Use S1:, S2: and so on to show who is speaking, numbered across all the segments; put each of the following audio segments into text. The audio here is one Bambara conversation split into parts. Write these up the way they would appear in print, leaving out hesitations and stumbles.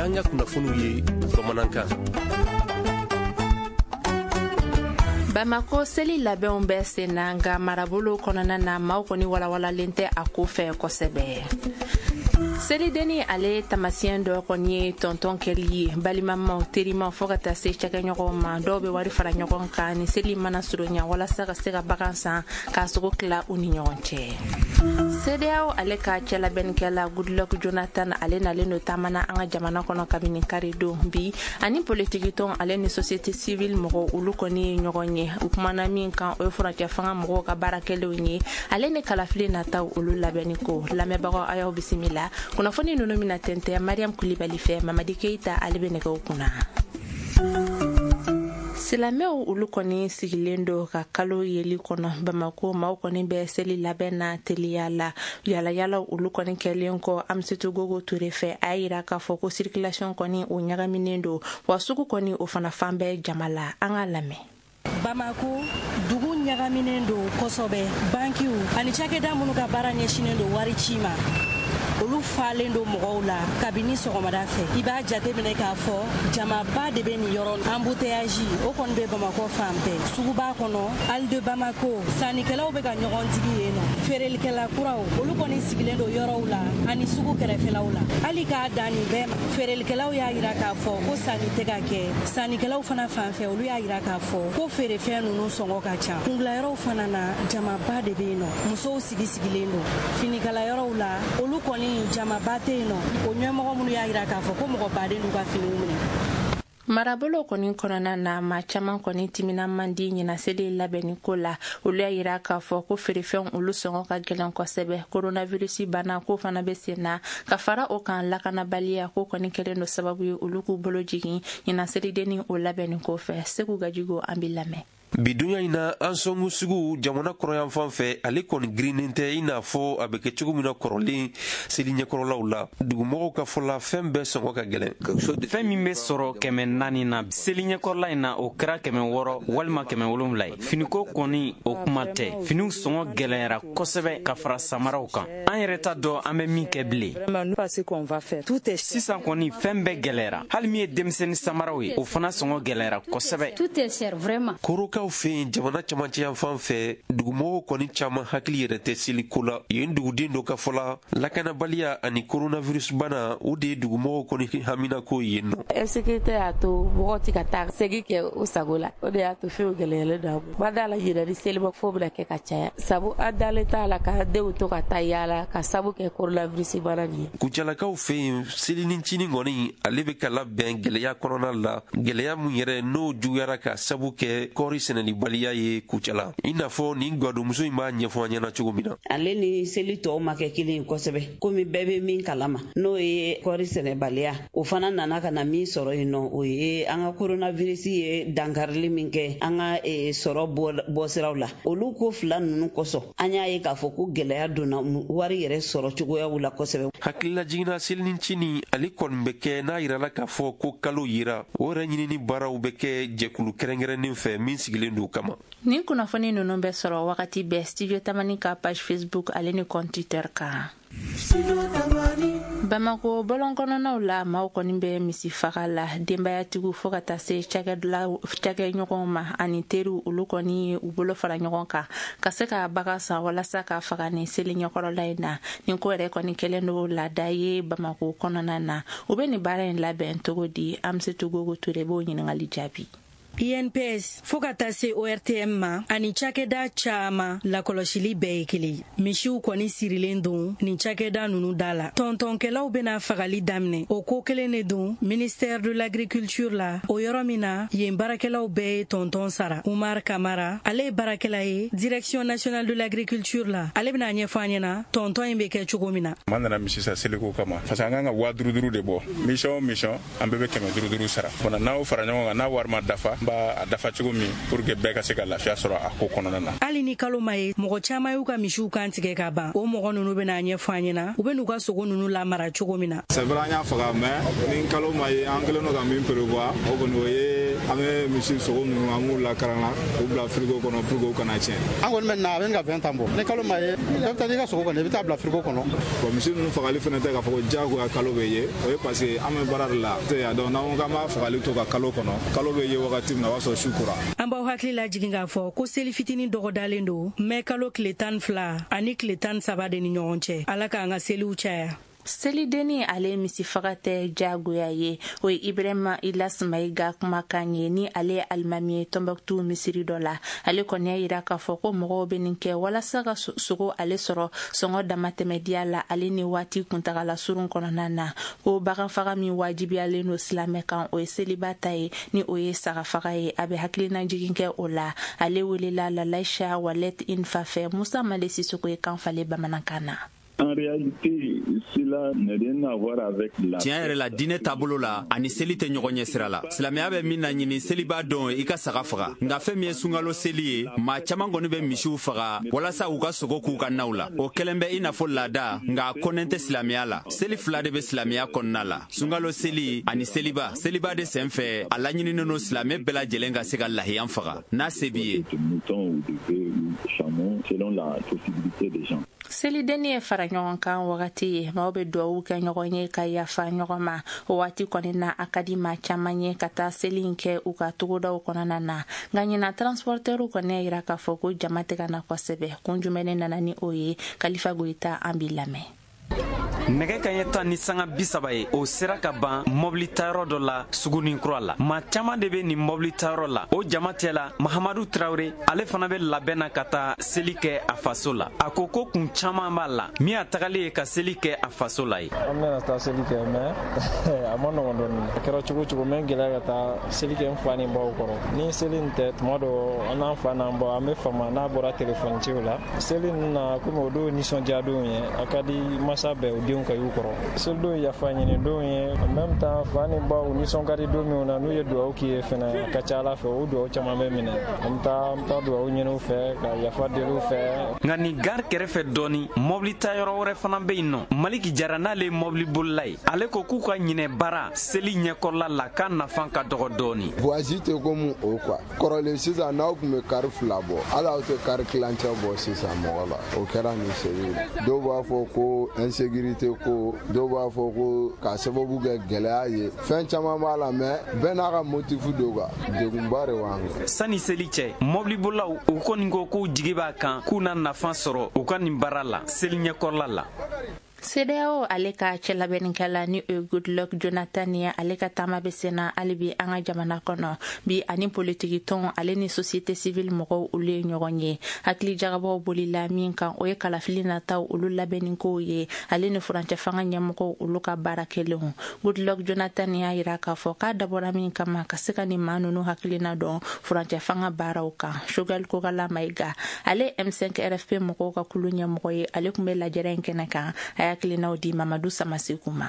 S1: y'an ka kunnafoniw ye bamanankan.
S2: Bamako seli labɛnw bɛ sen na, nka marabolo kɔnɔna na, maaw kɔni walawalalen tɛ a ko fɛ kosɛbɛ. Selidenni ale tamasiyɛn dɔ kɔni ye tɔntɔn kɛli ye balimamaw, terimaw, fɔɔ ka taa se cakɛɲɔgɔnw ma. Dɔw bɛ wari fara ɲɔgɔn kan ni seli mana surunya walasa ka se ka bagan san k'a sogo tila u ni ɲɔgɔn cɛ. CEDEAO ale ka cɛlabɛnnikɛla Goodluck Jonathan, ale nalen don taamana an ka jamana kɔnɔ kabini karidon. Bi ani politikitɔn ale ni société civile mɔgɔw, olu kɔni ye ɲɔgɔn ye. U kumana min kan, o ye furancɛ fanga mɔgɔw ka baara kɛlenw ye, ale ni kalafili nataw olu labɛnni ko. Lamɛnbagaw, a y'aw bisimila. Kunnafoni ninnu bɛna tɛntɛn Mariam Kulibali fɛ. Mamadi Keyita, ale bɛ nɛgɛw kunna. Silamɛw olu kɔni sigilen don ka kalo yeli kɔnɔ. Bamako maaw kɔni bɛ seli labɛn na teliya la. Yalayalaw olu kɔni kɛlen kɔ Amisitu Gogo Ture fɛ, a y'a yira k'a fɔ ko circulation kɔni o ɲagaminen don, wa sugu kɔni o fana fan bɛɛ jama la. An k'a lamɛn.
S3: Bamako dugu ɲagaminen don kosɛbɛ. Bankiw ani cakɛda minnu ka baara ɲɛsinnen don wari ci ma, olu falen don mɔgɔw la kabini sɔgɔmada fɛ. I b'a jateminɛ k'a fɔ jamaba de bɛ nin yɔrɔ. Embouteillage o kɔni bɛ Bamakɔ fan bɛɛ. Suguba kɔnɔ, Halle de Bamako, sannikɛlaw bɛ ka ɲɔgɔn digi yen nɔ. Feerelikɛla kuraw, olu kɔni sigilen don yɔrɔw la ani sugu kɛrɛfɛlaw la. Hali k'a dan nin bɛɛ ma, feerelikɛlaw y'a yira k'a fɔ ko sanni tɛ ka kɛ. Sannikɛlaw fana fan fɛ, olu y'a yira k'a fɔ ko feerefɛn ninnu sɔngɔ ka ca. Kungilayɔrɔw fana na, jamaba de bɛ yen nɔ. Musow sigi sigilen don finikalayɔrɔw la, olu kɔni jamaba tɛ yen nɔ. O ɲɛmɔgɔ minnu y'a yira k'a fɔ ko mɔgɔ baden d'u ka finiw minɛ.
S2: Marabolo kɔni kɔnɔna na, maa caman kɔni timinan man di ɲinan seli labɛnni ko la. Olu y'a yira k'a fɔ ko feerefɛnw olu sɔngɔ ka gɛlɛn kosɛbɛ. Coronavirus bana ko fana bɛ sen na, ka fara o kan, lakanabaliya ko kɔni kɛlen don sababu ye olu k'u bolo jigin ɲinan selidenni o labɛnni ko fɛ. Segu Gajigo, an b'i lamɛn.
S4: Bi dunya in na, Ansongo sugu jamana kɔrɔyanfan fɛ, ale kɔni girinnen tɛ i n'a fɔ a bɛ kɛ cogo min na kɔrɔlen seli ɲɛkɔrɔlaw la. Dugumɔgɔw ka fɔ la, fɛn bɛɛ sɔngɔ ka gɛlɛn.
S5: Fɛn min bɛ sɔrɔ 400 na seli ɲɛkɔrɔla in na, o kɛra 600 walima 700 ye. Finiko kɔni, o kuma tɛ. Finiw sɔngɔ gɛlɛyara kosɛbɛ ka fara samaraw kan. An yɛrɛ t'a dɔn an bɛ min kɛ bilen. Sisan kɔni, fɛn bɛɛ gɛlɛyara. Hali min ye denmisɛnnin samaraw ye, o fana sɔngɔ gɛlɛyara kosɛbɛ.
S4: Korokaw fɛ yen jamana camancɛ yanfan fɛ, dugumɔgɔw kɔni caman hakili yɛrɛ tɛ seliko la yen. Duguden dɔ ka fɔ la, lakanabaliya ani coronavirus bana, o de ye dugumɔgɔw kɔni haminako yen nɔ.
S6: Insécurité y'a to mɔgɔw tɛ ka taa segi kɛ u sago la. O de y'a to fɛnw gɛlɛyalen don an bolo. Ma da la ɲinɛ ni seliba fo bɛna kɛ ka caya, sabu an dalen t'a la k'an denw to ka taa yaala ka sabu kɛ coronavirus bana nin ye.
S4: Kucalakaw fɛ yen, selinin cinin kɔni, ale bɛ ka labɛn gɛlɛya kɔnɔna la, gɛlɛya mun yɛrɛ n'o juguyara ka sabu kɛ kɔɔri sɛnɛlibaliya ye Kucala, i n'a fɔ nin gadonmuso in b'a ɲɛfɔ an ɲɛna cogo min na.
S7: Ale ni seli tɔw ma kɛ kelen ye kosɛbɛ, komi bɛɛ bɛ min kalama, n'o ye kɔɔri sɛnɛbaliya. O fana nana ka na min sɔrɔ yen nɔ, o ye an ka coronavirus ye dankarili min kɛ an ka sɔrɔ bɔsiraw la. Olu ko fila ninnu kosɔn, an y'a ye k'a fɔ ko gɛlɛya donna wari yɛrɛ sɔrɔ cogoyaw la kosɛbɛ.
S4: Hakilila jiginna, selinin cinin ale kɔni bɛ kɛ n'a yirala k'a fɔ ko kalo yira. O yɛrɛ ɲinini baaraw bɛ kɛ jɛkulu kɛrɛnkɛrɛnnen fɛ min sigilen don kama.
S2: Nin kunnafoni ninnu bɛ sɔrɔ wagati bɛɛ Studio Tamani ka page Facebook ale ni compte Twitter kan. Bamako bɔlɔn kɔnɔnaw la, maaw kɔni bɛ misi faga la. Denbayatigiw fɔɔ ka taa se cakɛɲɔgɔnw ma ani teriw, olu kɔni ye u bolo fara ɲɔgɔn kan ka se ka bagan san walasa ka faga ni seli ɲɛkɔrɔla in na. Nin ko yɛrɛ kɔni kɛlen don laada ye Bamako kɔnɔna na. U bɛ nin baara in labɛn cogo di? Amsetu Gogo Ture b'o ɲininkali jaabi.
S3: INPS fo ka taa se ORTM ma ani cakɛda caaman, lakɔlɔsili bɛɛ ye kelen. Misiw kɔni sirilen don nin cakɛda nunu da la. Tɔntɔnkɛlaw bena fagali daminɛ. O ko kelen de don ministère de l'Agriculture la, o yɔrɔ min na yen baarakɛlaw bɛɛ ye tɔntɔn sara. Umar Kamara, ale ye baarakɛla ye Direction nationale de l'Agriculture la. Ale bena ɲɛfɔ an ɲɛna tɔntɔn in be kɛ cogo min na.
S8: An nana misi san seliko kama, parce que an kan ka 5000 5000 de bɔ. Mission o mission, an bɛɛ bɛ 500 500 sara. Fana n'aw fara ɲɔgɔn kan, n'a wari ma dafa, n b'a a dafa cogo min pour que bɛɛ ka se ka lafiya sɔrɔ a ko kɔnɔna na.
S3: Hali ni kalo ma ye, mɔgɔ caaman y'u ka misiw kan tigɛ ka ban. O mɔgɔ nunu bena ɲɛfɔ an ɲɛna u be n'u ka sogo nunu lamara cogo min na.
S9: C'est vrai, an y'a faga, mais ni kalo ma ye, an kɛlen don ka min prévoir, o kɔni o ye. An bɛ misi sogo ninnu, an b'u lakaran k'u bila frigo kɔnɔ pour que u kana tiɲɛ.
S10: An kɔni bɛ na, a bɛ ka 20 ans bɔ. Ni kalo ma ye, i bɛ taa n'i ka sogo kɔni, i bɛ taa bila frigo kɔnɔ.
S9: Bon, misi ninnu fagali fana tɛ k'a fɔ ko diyagoya kalo bɛ ye. O ye parce que an bɛ baara de la tɛ yan. Donc n'an ko k'an b'a fagali to ka kalo kɔnɔ, kalo bɛ ye wagati min na, o b'a sɔrɔ su kora.
S3: An b'aw hakili lajigin k'a fɔ ko seli fitinin dɔgɔdalen don mɛ kalo tile 12 ani tile 13 de ni ɲɔgɔn cɛ. Ala k'an ka seliw caya.
S2: Selidenni ale misifaga tɛ diyagoya ye, o ye Ibrahima Ilas Mayiga kumakan ye, ni ale ye alimami ye Tɔnbɔkutu misiri dɔ la. Ale kɔni y'a yira k'a fɔ ko mɔgɔw bɛ nin kɛ walasa ka sogo ale sɔrɔ sɔngɔ damatɛmɛdiya la, ale ni waati kuntagala surun kɔnɔna na. Ko baganfaga min wajibiyalen don silamɛ kan, o ye seliba ta ye, ni o ye sagafaga ye. A bɛ hakilinajigin kɛ o la. Ale welela Lalaisha Walet Infa fɛ. Musa Male Sisoko ye kan falen bamanankan na.
S11: En réalité, cela n'a rien à voir avec la.
S12: Tiɲɛ yɛrɛ la, diinɛ taabolo la, ani seli tɛ ɲɔgɔn ɲɛ sira la. Silamɛya bɛ min laɲini seliba don, i ka saga faga. Nka fɛn min ye sunkalo seli ye, maa caman kɔni bɛ misiw faga walasa u ka sogo k'u ka naw la. O kɛlen bɛ i n'a fɔ laada, nka a kɔnnen tɛ silamɛya la. Seli fila de bɛ silamɛya kɔnɔna la, sunkalo seli ani seliba. Seliba de sen fɛ, a laɲininen don silamɛ bɛɛ lajɛlen ka se ka lahiyan faga n'a se b'i ye.
S11: Selon la possibilité des gens.
S2: Selidenni ye fara ɲɔgɔn kan wagati ye. Maaw bɛ duwawu kɛ ɲɔgɔn ye ka yafa ɲɔgɔn ma. O waati kɔni na, a ka di maa caman ye ka taa seli in kɛ u ka togodaw kɔnɔna na. Nka ɲina, transportɛriw kɔni y'a yira k'a fɔ ko jama tɛ ka na kosɛbɛ. Kun jumɛn de nana ni o ye? Kalifa Goyita, an b'i lamɛn.
S5: Nɛgɛ ka ɲɛ 10:30 ye, o sera ka ban mɔbili tayɔrɔ dɔ la Sugunin Kura la. Maa caman de bɛ nin mɔbili tayɔrɔ la. O jama cɛ la, Mahamadu Tarawele, ale fana bɛ labɛn na ka taa seli kɛ a faso la. A ko ko kun caman b'a la min y'a tagalen ye ka seli kɛ a faso la ye.
S13: An bɛna taa seli kɛ, mais a ma nɔgɔn dɔɔni. A kɛra cogo cogo, n bɛ gɛlɛya ka taa seli kɛ n fa ni baw kɔrɔ. Ni seli nin tɛ, tuma dɔ an n'an fa n'an baw, an bɛ fama n'a bɔra telefɔni ciw la. Seli ninnu na, komi o don nisɔndiya don ye, a ka di masa bɛɛ o denw ka y'u kɔrɔ. Selidon ye yafa ɲini don ye. En même temps, fa ni baw nisɔn ka di don min na, n'u ye dugawu k'i ye fɛnɛ, a ka ca Ala fɛ o dugawu caman bɛ minɛ. An bɛ taa dugawu ɲini u fɛ ka yafa deli u fɛ.
S5: Nka nin gari kɛrɛfɛ dɔɔni, mɔbili tayɔrɔ wɛrɛ fana bɛ yen nɔ. Maliki Jara, n'ale ye mɔbili bolila ye, ale ko k'u ka ɲinɛ baara seli ɲɛkɔrɔla la k'a nafa ka dɔgɔ dɔɔni.
S14: Voyage tɛ komi o quoi. Kɔrɔlen sisan, n'aw tun bɛ kari fila bɔ, hali aw tɛ kari kilancɛ bɔ sisan mɔgɔ la. O kɛra nin seli ye. Dɔw b'a fɔ ko insécurité ko, dɔw b'a fɔ ko k'a sababu kɛ gɛlɛya ye. Fɛn caman b'a la, mais bɛɛ n'a ka motif don quoi. Degunba de b'an kan.
S5: Sani seli cɛ, mɔbilibolilaw u kɔni ko k'u jigi b'a kan k'u na nafa sɔrɔ u ka nin baara la seli ɲɛkɔrɔla la.
S2: CEDEAO ale ka cɛlabɛnnikɛla, ni o ye Goodluck Jonathan ye, ale ka taama bɛ senna hali bi an ka jamana kɔnɔ bi. Ani politiki tɔn ale ni société civile mɔgɔw, olu ye ɲɔgɔn ye. Hakili jagabɔw bolila min kan, o ye kalafili nataw olu labɛnnikow ye, ale ni furancɛ fanga ɲɛmɔgɔw olu ka baara kɛlenw. Goodluck Jonathan y'a yira k'a fɔ k'a dabɔra min kama, ka se ka nin maa ninnu hakilina dɔn furancɛ fanga baaraw kan. Choguel Kokalla Maïga, ale M5 RFP mɔgɔw ka kulu ɲɛmɔgɔ ye, ale tun bɛ lajɛrɛ in kɛnɛ kan. A y'a hakilinaw di Mamadu Samaseku ma.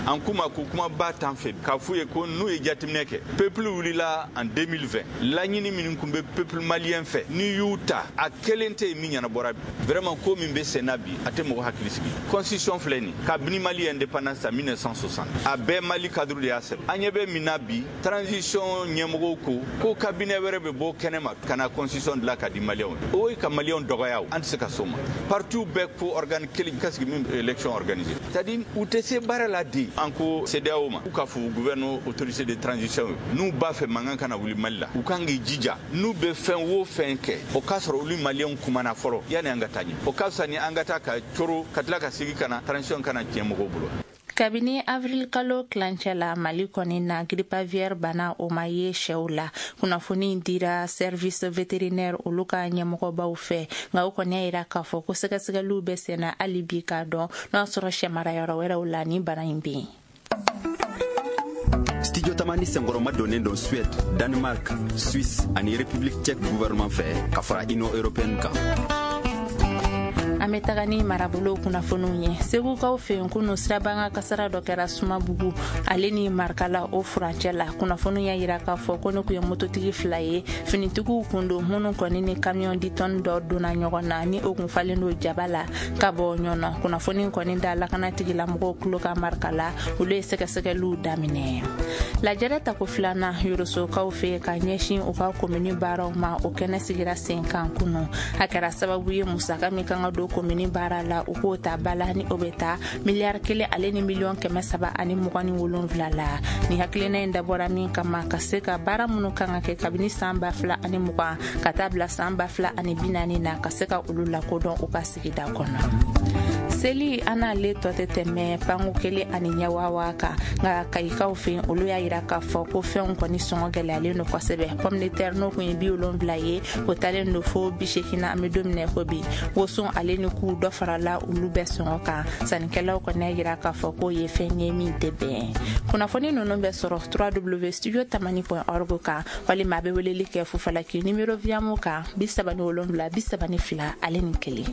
S15: An kuma ko kumaba t'an fɛ k'a f'u ye ko n'u ye jateminɛ kɛ, peuple wulila en 2020, laɲini minnu tun bɛ peuple malien fɛ, n'i y'u ta, a kelen tɛ yen min ɲɛnabɔra bi. Vraiment, ko min bɛ sen na bi, a tɛ mɔgɔ hakili sigi. Constitution filɛ nin, kabini Mali indépendance ta 1960, a bɛɛ Mali cadre de y'a sɛbɛn. An ɲɛ bɛ min na bi, transition ɲɛmɔgɔw ko ko cabinet wɛrɛ bɛ bɔ kɛnɛ ma ka na constitution dilan ka di maliyɛnw ye. O ye ka maliyɛnw dɔgɔya. O an tɛ se ka s'o ma. Parti bɛɛ ko organe kelen ka sigi min élection organisée, c'est à dire u tɛ se baara la de. An ko CEDEAO ma k'u ka fɔ gouvernement autorité de transition ye, n'u b'a fɛ mankan kana wuli Mali la, u kan k'i jija, n'u bɛ fɛn o fɛn kɛ, o k'a sɔrɔ olu maliyɛnw kumana fɔlɔ yanni an ka taa ɲɛ. O ka fisa ni an ka taa ka coro ka tila ka segin ka na transition kana tiɲɛ mɔgɔw bolo.
S2: Kabini avril kalo tilancɛ la, Mali kɔni na, grippe aviaire bana o ma ye sɛw la. Kunnafoni dira service vétérinaire olu ka ɲɛmɔgɔbaw fɛ. Nka o kɔni y'a yira k'a fɔ ko sɛgɛsɛgɛliw bɛ senna hali bi k'a dɔn n'o y'a sɔrɔ sɛmarayɔrɔ wɛrɛw la ni bana in bɛ yen.
S12: Studio Tamani senkɔrɔma donnen don Suède, Danemark, Suisse ani République tchèque gouvernement fɛ ka fara Union européenne kan.
S2: An bɛ taga ni marabolo kunnafoniw ye. Segukaw fɛ yen, kunu siraban ka kasara dɔ kɛra Sumabugu ale ni Marikala o furancɛ la. Kunnafoniw y'a yira k'a fɔ ko ne kun ye mototigi fila ye, finitigiw kun don, minnu kɔni ni camion 10 tonnes dɔ donna ɲɔgɔn na ni o kun falen don jaba la ka bɔ Ɲɔnɔ. Kunnafoni kɔni da lakana tigilamɔgɔw tulo kan Marikala, olu ye sɛgɛsɛgɛliw daminɛ. Lajɛrɛ tako filanan Yorosokaw fɛ ka ɲɛsin u ka komini baaraw ma, o kɛnɛ sigira sen kan kunu. A kɛra sababu ye, musaka min kan ka don komini baara la, u k'o ta ba la, ni o bɛ taa miliyari 1 ale ni miliyɔn 327 la. Ni hakilina in dabɔra min kama, ka se ka baara minnu kan ka kɛ kabini san 2020 ka taa bila san 2040 na, ka se ka olu lakodɔn u ka sigida kɔnɔ. Seli an n'ale tɔ tɛ tɛmɛ panko kelen ani ɲɛwawa kan, nka Kayikaw fɛ, olu y'a yira k'a fɔ ko fɛnw kɔni sɔngɔ gɛlɛyalen don kosɛbɛ. Pomme de terre, n'o kun ye 70 ye, o talen don fo 80 na an bɛ don min na ko bi. Woson ale ni k'u dɔ farala olu bɛɛ sɔngɔ kan. Sannikɛlaw kɔni y'a yira k'a fɔ k'o ye fɛn ye min tɛ bɛn. Kunnafoni ninnu bɛ sɔrɔ www studio tamani.org kan, walima a bɛ weleli kɛ Fufalaki numéro Viamo kan, 37 32 ale ni 1.